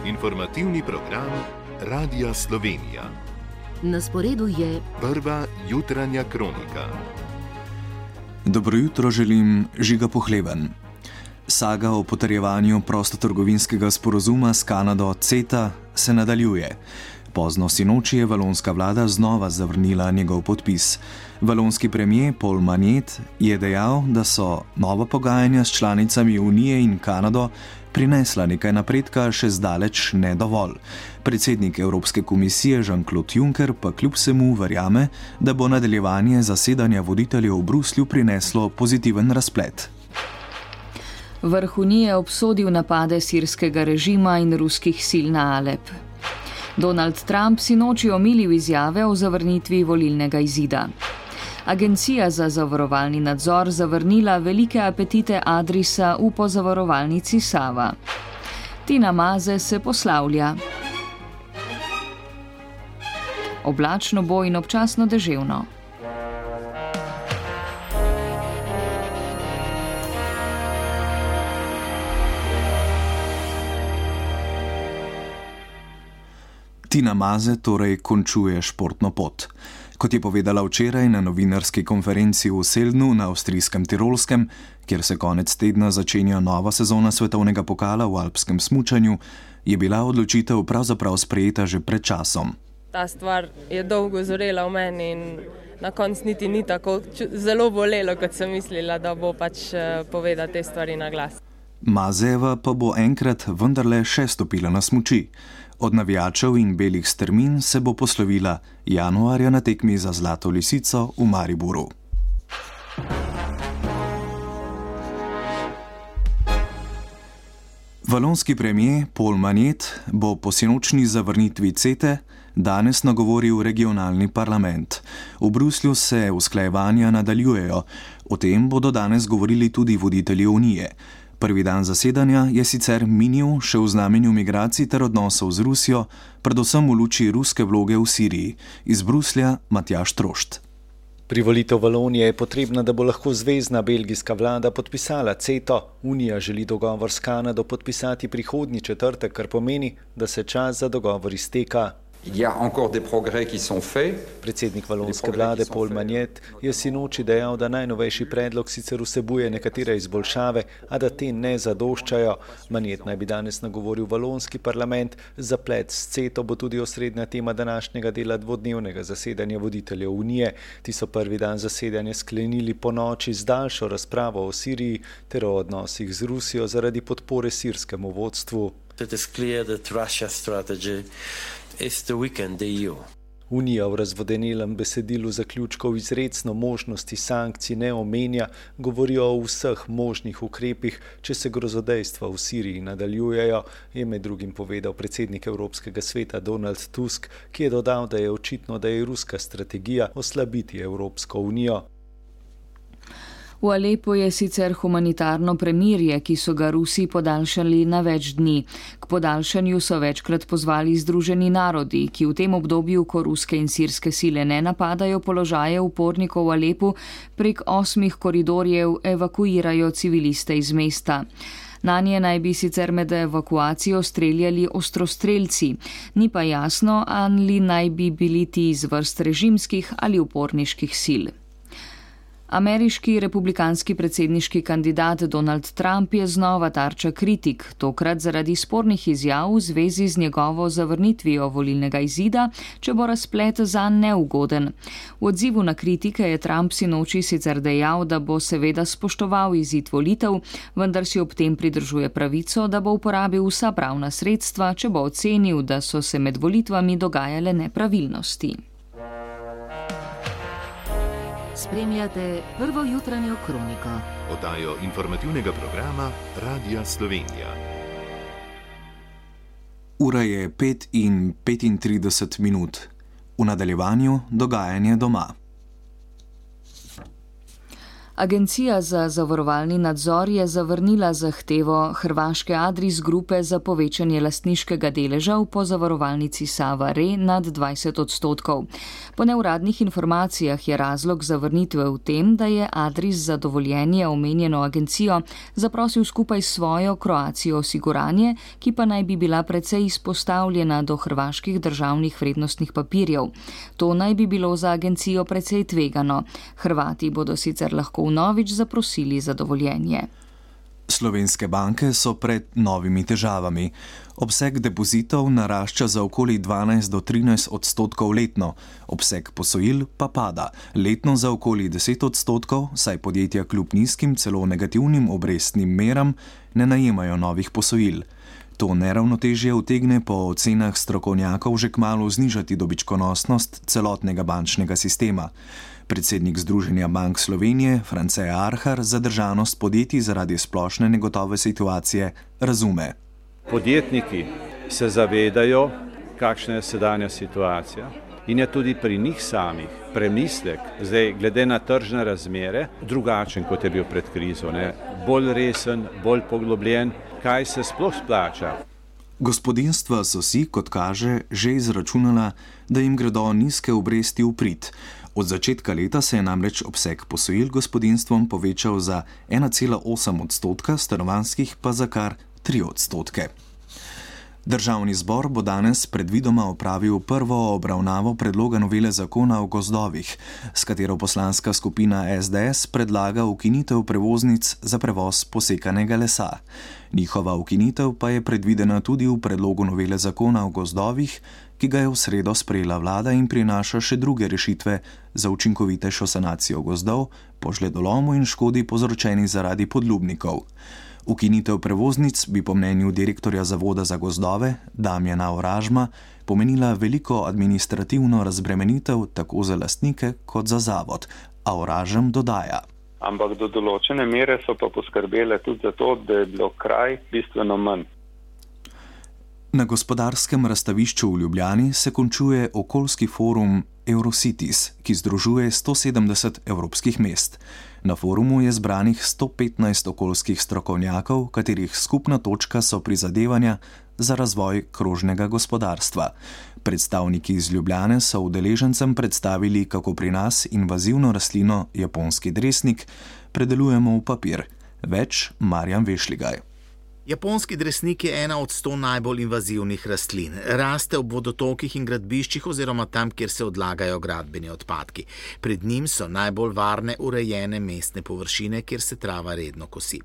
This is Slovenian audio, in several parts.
Informativni program Radia Slovenija. Na sporedu je prva jutranja kronika. Dobro jutro želim, Žiga Pohleben. Saga o potrjevanju prostotrgovinskega sporazuma s Kanado CETA se nadaljuje. Pozno sinoči je valonska vlada znova zavrnila njegov podpis. Valonski premier Paul Magnet je dejal, da so nova pogajanja s članicami Unije in Kanado prinesla nekaj napredka, še zdaleč ne dovolj. Predsednik Evropske komisije Jean-Claude Juncker pa kljub vsemu verjame, da bo nadaljevanje zasedanja voditeljev v Bruslju prineslo pozitiven razplet. Vrh Unije je obsodil napade sirskega režima in ruskih sil na Alep. Donald Trump sinoči omilil izjave o zavrnitvi volilnega izida. Agencija za zavarovalni nadzor zavrnila velike apetite Adrisa v pozavarovalnici Sava. Tina Maze se poslavlja. Oblačno bo in občasno deževno. Tina Maze torej končuje športno pot. Kot je povedala včeraj na novinarski konferenci v Seldnu na avstrijskem Tirolskem, kjer se konec tedna začenja nova sezona svetovnega pokala v alpskem smučanju, je bila odločitev pravzaprav sprejeta že pred časom. Ta stvar je dolgo zorela v meni in na koncu niti ni tako zelo bolelo, kot sem mislila, da bo povedati te stvari na glas. Mazejeva pa bo enkrat vendarle še stopila na smuči. Od navijačev in belih strmin se bo poslovila januarja na tekmi za Zlato lisico v Mariboru. Valonski premier Paul Magnet bo po sinočni zavrnitvi CETE danes nagovoril regionalni parlament. V Bruslju se usklajevanja nadaljujejo. O tem bodo danes govorili tudi voditelji Unije. Prvi dan zasedanja je sicer minil še v znamenju migracij ter odnosov z Rusijo, predvsem v luči ruske vloge v Siriji. Iz Bruslja Matjaž Trošt. Privolitev Valonije je potrebna, da bo lahko zvezna belgijska vlada podpisala CETO. Unija želi dogovor s Kanado podpisati prihodnji četrtek, kar pomeni, da se čas za dogovor izteka. Predsednik valonske vlade Paul Magnet je sinoči dejal, da najnovejši predlog sicer vsebuje nekatere izboljšave, a da te ne zadoščajo. Magnet naj bi danes nagovoril valonski parlament. Zaplet s CETO bo tudi osrednja tema današnjega dela dvodnevnega zasedanja voditeljev Unije. Ti so prvi dan zasedanja sklenili po noči z daljšo razpravo o Siriji ter o odnosih z Rusijo zaradi podpore sirskemu vodstvu. Unija v razvodenelem besedilu zaključkov izrecno možnosti sankcij ne omenja, govorijo o vseh možnih ukrepih, če se grozodejstva v Siriji nadaljujejo, je med drugim povedal predsednik Evropskega sveta Donald Tusk, ki je dodal, da je očitno, da je ruska strategija oslabiti Evropsko unijo. V Alepu je sicer humanitarno premirje, ki so ga Rusi podaljšali na več dni. K podaljšanju so večkrat pozvali Združeni narodi, ki v tem obdobju, ko ruske in sirske sile ne napadajo položaje upornikov v Alepu, prek 8 koridorjev evakuirajo civiliste iz mesta. Nanje naj bi sicer med evakuacijo streljali ostrostrelci. Ni pa jasno, ali naj bi bili ti iz vrst režimskih ali uporniških sil. Ameriški republikanski predsedniški kandidat Donald Trump je znova tarča kritik, tokrat zaradi spornih izjav v zvezi z njegovo zavrnitvijo volilnega izida, če bo razplet zanj neugoden. V odzivu na kritike je Trump sinoči sicer dejal, da bo seveda spoštoval izid volitev, vendar si ob tem pridržuje pravico, da bo uporabil vsa pravna sredstva, če bo ocenil, da so se med volitvami dogajale nepravilnosti. Spremljate prvo jutranjo kroniko. Oddajo informativnega programa Radia Slovenija. Ura je 5:35. V nadaljevanju dogajanje doma. Agencija za zavarovalni nadzor je zavrnila zahtevo hrvaške Adris grupe za povečanje lastniškega deleža v pozavarovalnici Sava Re nad 20%. Po neuradnih informacijah je razlog zavrnitve v tem, da je Adris za dovoljenje omenjeno agencijo zaprosil skupaj s svojo Croatia Osiguranje, ki pa naj bi bila precej izpostavljena do hrvaških državnih vrednostnih papirjev. To naj bi bilo za agencijo precej tvegano. Hrvati bodo sicer lahko vnovič zaprosili za dovoljenje. Slovenske banke so pred novimi težavami. Obseg depozitov narašča za okoli 12 do 13% letno, obseg posojil pa pada, letno za okoli 10%, saj podjetja kljub nizkim, celo negativnim obrestnim meram ne najemajo novih posojil. To neravnotežje utegne po ocenah strokovnjakov že kmalu znižati dobičkonosnost celotnega bančnega sistema. Predsednik Združenja bank Slovenije, France Arhar, zadržanost podjetij zaradi splošne negotove situacije razume. Podjetniki se zavedajo, kakšna je sedanja situacija in je tudi pri njih samih premislek, zdaj glede na tržne razmere, drugačen kot je bil pred krizo, bolj resen, bolj poglobljen, kaj se sploh splača. Gospodinjstva so si, kot kaže, že izračunala, da jim gredo nizke obresti v prid. Od začetka leta se je namreč obseg posojil gospodinjstvom povečal za 1,8%, stanovanjskih pa za kar 3%. Državni zbor bo danes predvidoma opravil prvo obravnavo predloga novele zakona o gozdovih, s katero poslanska skupina SDS predlaga ukinitev prevoznic za prevoz posekanega lesa. Njihova ukinitev pa je predvidena tudi v predlogu novele zakona o gozdovih, ki ga je v sredo sprejela vlada in prinaša še druge rešitve za učinkovitejšo sanacijo gozdov po žledolomu in škodi povzročeni zaradi podlubnikov. Ukinitev prevoznic bi po mnenju direktorja Zavoda za gozdove Damjana Oražma pomenila veliko administrativno razbremenitev tako za lastnike kot za zavod, a Oražem dodaja. Ampak do določene mere so pa poskrbele tudi za to, da je bilo kraj bistveno manj. Na gospodarskem razstavišču v Ljubljani se končuje okoljski forum Eurocities, ki združuje 170 evropskih mest. Na forumu je zbranih 115 okoljskih strokovnjakov, katerih skupna točka so prizadevanja za razvoj krožnega gospodarstva. Predstavniki iz Ljubljane so udeležencem predstavili, kako pri nas invazivno rastlino japonski dresnik predelujemo v papir. Več Marjan Vešligaj. Japonski dresnik je ena od 100 najbolj invazivnih rastlin. Raste ob vodotokih in gradbiščih oziroma tam, kjer se odlagajo gradbeni odpadki. Pred njim so najbolj varne, urejene mestne površine, kjer se trava redno kosi.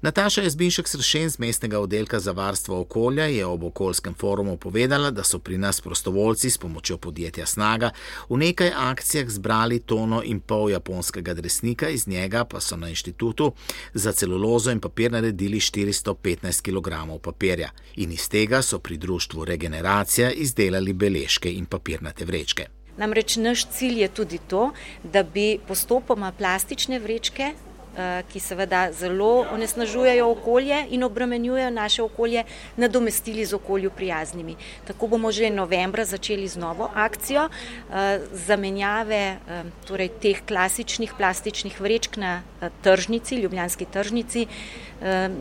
Nataša Jazbinšek-Sršen z mestnega oddelka za varstvo okolja je ob okoljskem forumu povedala, da so pri nas prostovoljci s pomočjo podjetja Snaga v nekaj akcijah zbrali 1,5 tone japonskega dresnika, iz njega pa so na inštitutu za celulozo in papir naredili 415 kg papirja. In iz tega so pri društvu Regeneracija izdelali beležke in papirnate vrečke. Namreč naš cilj je tudi to, da bi postopoma plastične vrečke, ki seveda zelo onesnažujejo okolje in obremenjujejo naše okolje, nadomestili z okolju prijaznimi. Tako bomo že novembra začeli z novo akcijo zamenjave torej teh klasičnih plastičnih vrečk na tržnici, ljubljanski tržnici,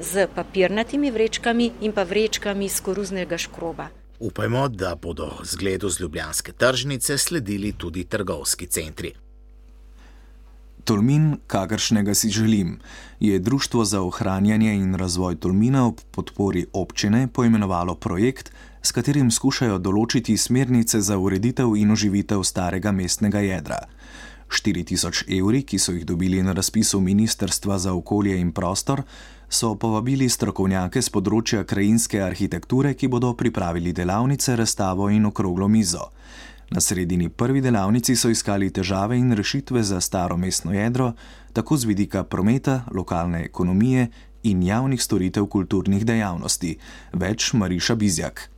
z papirnatimi vrečkami in pa vrečkami iz koruznega škroba. Upajmo, da bodo zgledu z ljubljanske tržnice sledili tudi trgovski centri. Tolmin, kakršnega si želim, je Društvo za ohranjanje in razvoj Tolmina ob podpori občine poimenovalo projekt, s katerim skušajo določiti smernice za ureditev in oživitev starega mestnega jedra. 4.000 evri, ki so jih dobili na razpisu Ministrstva za okolje in prostor, so povabili strokovnjake z področja krajinske arhitekture, ki bodo pripravili delavnice, razstavo in okroglo mizo. Na sredini prvi delavnici so iskali težave in rešitve za staro mestno jedro, tako z vidika prometa, lokalne ekonomije in javnih storitev kulturnih dejavnosti. Več Mariša Bizjak.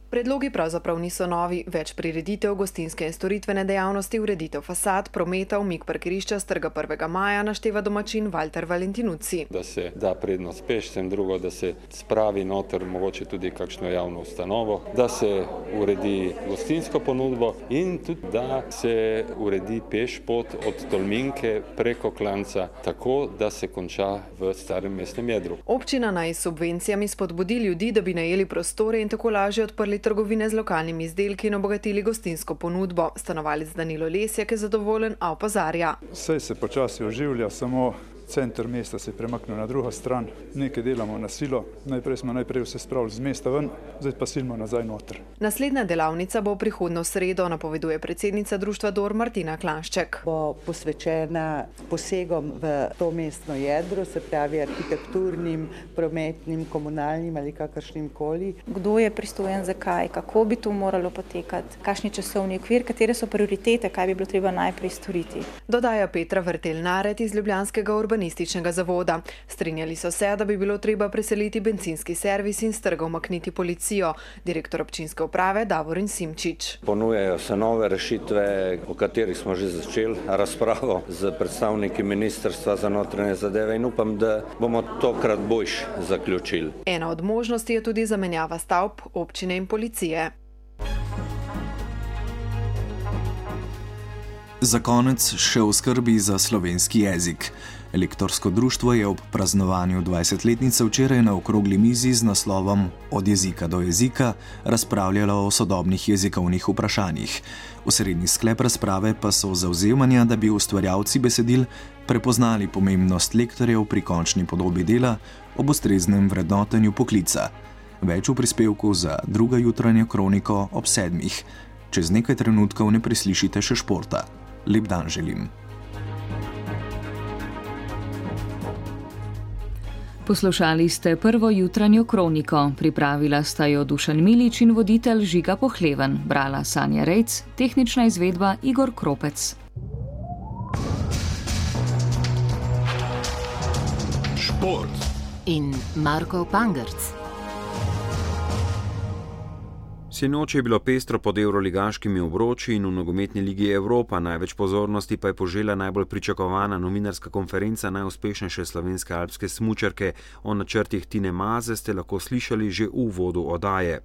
Predlogi pravzaprav niso novi, več prireditev, gostinske in storitvene dejavnosti, ureditev fasad, prometa, umik parkirišča s trga 1. maja našteva domačin Walter Valentinucci. Da se da prednost pešcem, drugo, da se spravi noter mogoče tudi kakšno javno ustanovo, da se uredi gostinsko ponudbo in tudi da se uredi peš pot od Tolminke preko Klanca, tako da se konča v starem mestnem jedru. Občina naj s subvencijami spodbudi ljudi, da bi najeli prostore in tako lažje odprli trgovine z lokalnimi izdelki in obogatili gostinsko ponudbo. Stanovalec Danilo Lesjak je zadovoljen, a opozarja. Saj se počasi oživlja, samo center mesta se je premaknil na drugo stran. Nekaj delamo na silo, najprej smo vse spravili z mesta ven, zdaj pa silimo nazaj noter. Naslednja delavnica bo prihodnjo sredo, napoveduje predsednica društva DOR Martina Klanšček. Bo posvečena posegom v to mestno jedro, se pravi arhitekturnim, prometnim, komunalnim ali kakršnim koli. Kdo je pristojen za kaj, kako bi to moralo potekati, kakšni časovni okvir, katere so prioritete, kaj bi bilo treba najprej storiti. Dodaja Petra Vrtel-Naret iz ljubljanskega urbanističnega zavoda. Strinjali so se, da bi bilo treba preseliti bencinski servis in s trga umakniti policijo. Direktor občinske uprave Davorin Simčič. Ponujajo se nove rešitve, o katerih smo že začeli razpravo z predstavniki Ministrstva za notranje zadeve in upam, da bomo tokrat boljš zaključili. Ena od možnosti je tudi zamenjava stavb občine in policije. Za konec še o skrbi za slovenski jezik. Lektorsko društvo je ob praznovanju 20-letnice včeraj na okrogli mizi z naslovom Od jezika do jezika razpravljalo o sodobnih jezikovnih vprašanjih. Osrednji sklep razprave pa so zavzemanja, da bi ustvarjalci besedil prepoznali pomembnost lektorjev pri končni podobi dela ob ustreznem vrednotenju poklica. Več v prispevku za drugo jutranjo kroniko ob 7. Čez nekaj trenutkov ne preslišite še športa. Lep dan želim. Poslušali ste prvo jutranjo kroniko. Pripravila sta jo Dušan Milič in voditelj Žiga Pohleven. Brala Sanja Rejc, tehnična izvedba Igor Kropec. Šport in Marko Pangerc. Sinoči je bilo pestro pod evroligaškimi obroči in v nogometni ligi Evropa. Največ pozornosti pa je požela najbolj pričakovana novinarska konferenca najuspešnejše slovenske alpske smučarke. O načrtih Tine Maze ste lahko slišali že v uvodu oddaje.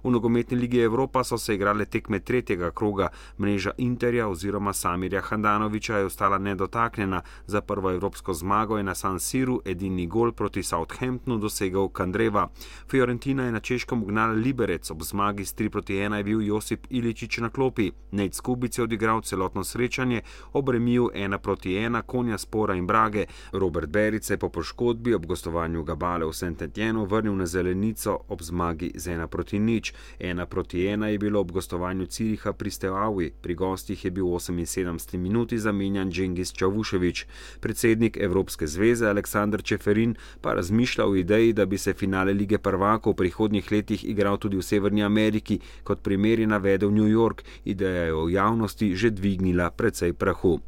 V nogometni ligi Evropa so se igrale tekme tretjega kroga. Mreža Interja oziroma Samirja Handanovića je ostala nedotaknjena. Za prvo evropsko zmago je na San Siru edini gol proti Southamptonu dosegel Kandreva. Fiorentina je na Češkem ugnala Liberec, ob zmagi s 3-1 je bil Josip Iličić na klopi. Nejc Skubic je odigral celotno srečanje, ob remiju 1-1 Konja Spora in Brage. Robert Beric je po poškodbi ob gostovanju Gabale v Saint-Etienne vrnil na zelenico ob zmagi z 1-0. 1-1 je bilo ob gostovanju Ciriha pri Steaui. Pri gostih je bil v 78 minuti zamenjan Džengis Čavušević. Predsednik Evropske zveze Aleksandar Čeferin pa razmišlja o ideji, da bi se finale Lige prvakov v prihodnjih letih igral tudi v Severni Ameriki. Kot primer je navedel New York. Ideja je v javnosti že dvignila precej prahu.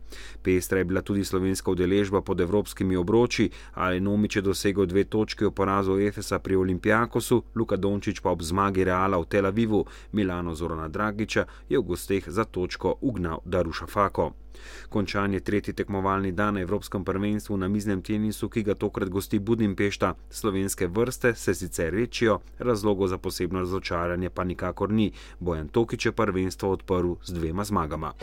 Pestra je bila tudi slovenska udeležba pod evropskimi obroči. Ale Nomić je dosegel 2 točke v porazu Efesa pri Olympiakosu, Luka Dončić pa ob zmagi Reala v Tel Avivu. Milano Zorana Dragića je v gosteh za točko ugnal Darušafako. Končan je tretji tekmovalni dan na Evropskem prvenstvu na miznem tenisu, ki ga tokrat gosti Budimpešta. Slovenske vrste se sicer rečijo, razlogov za posebno razočaranje pa nikakor ni. Bojan Tokič je prvenstvo odprl z 2 zmagama.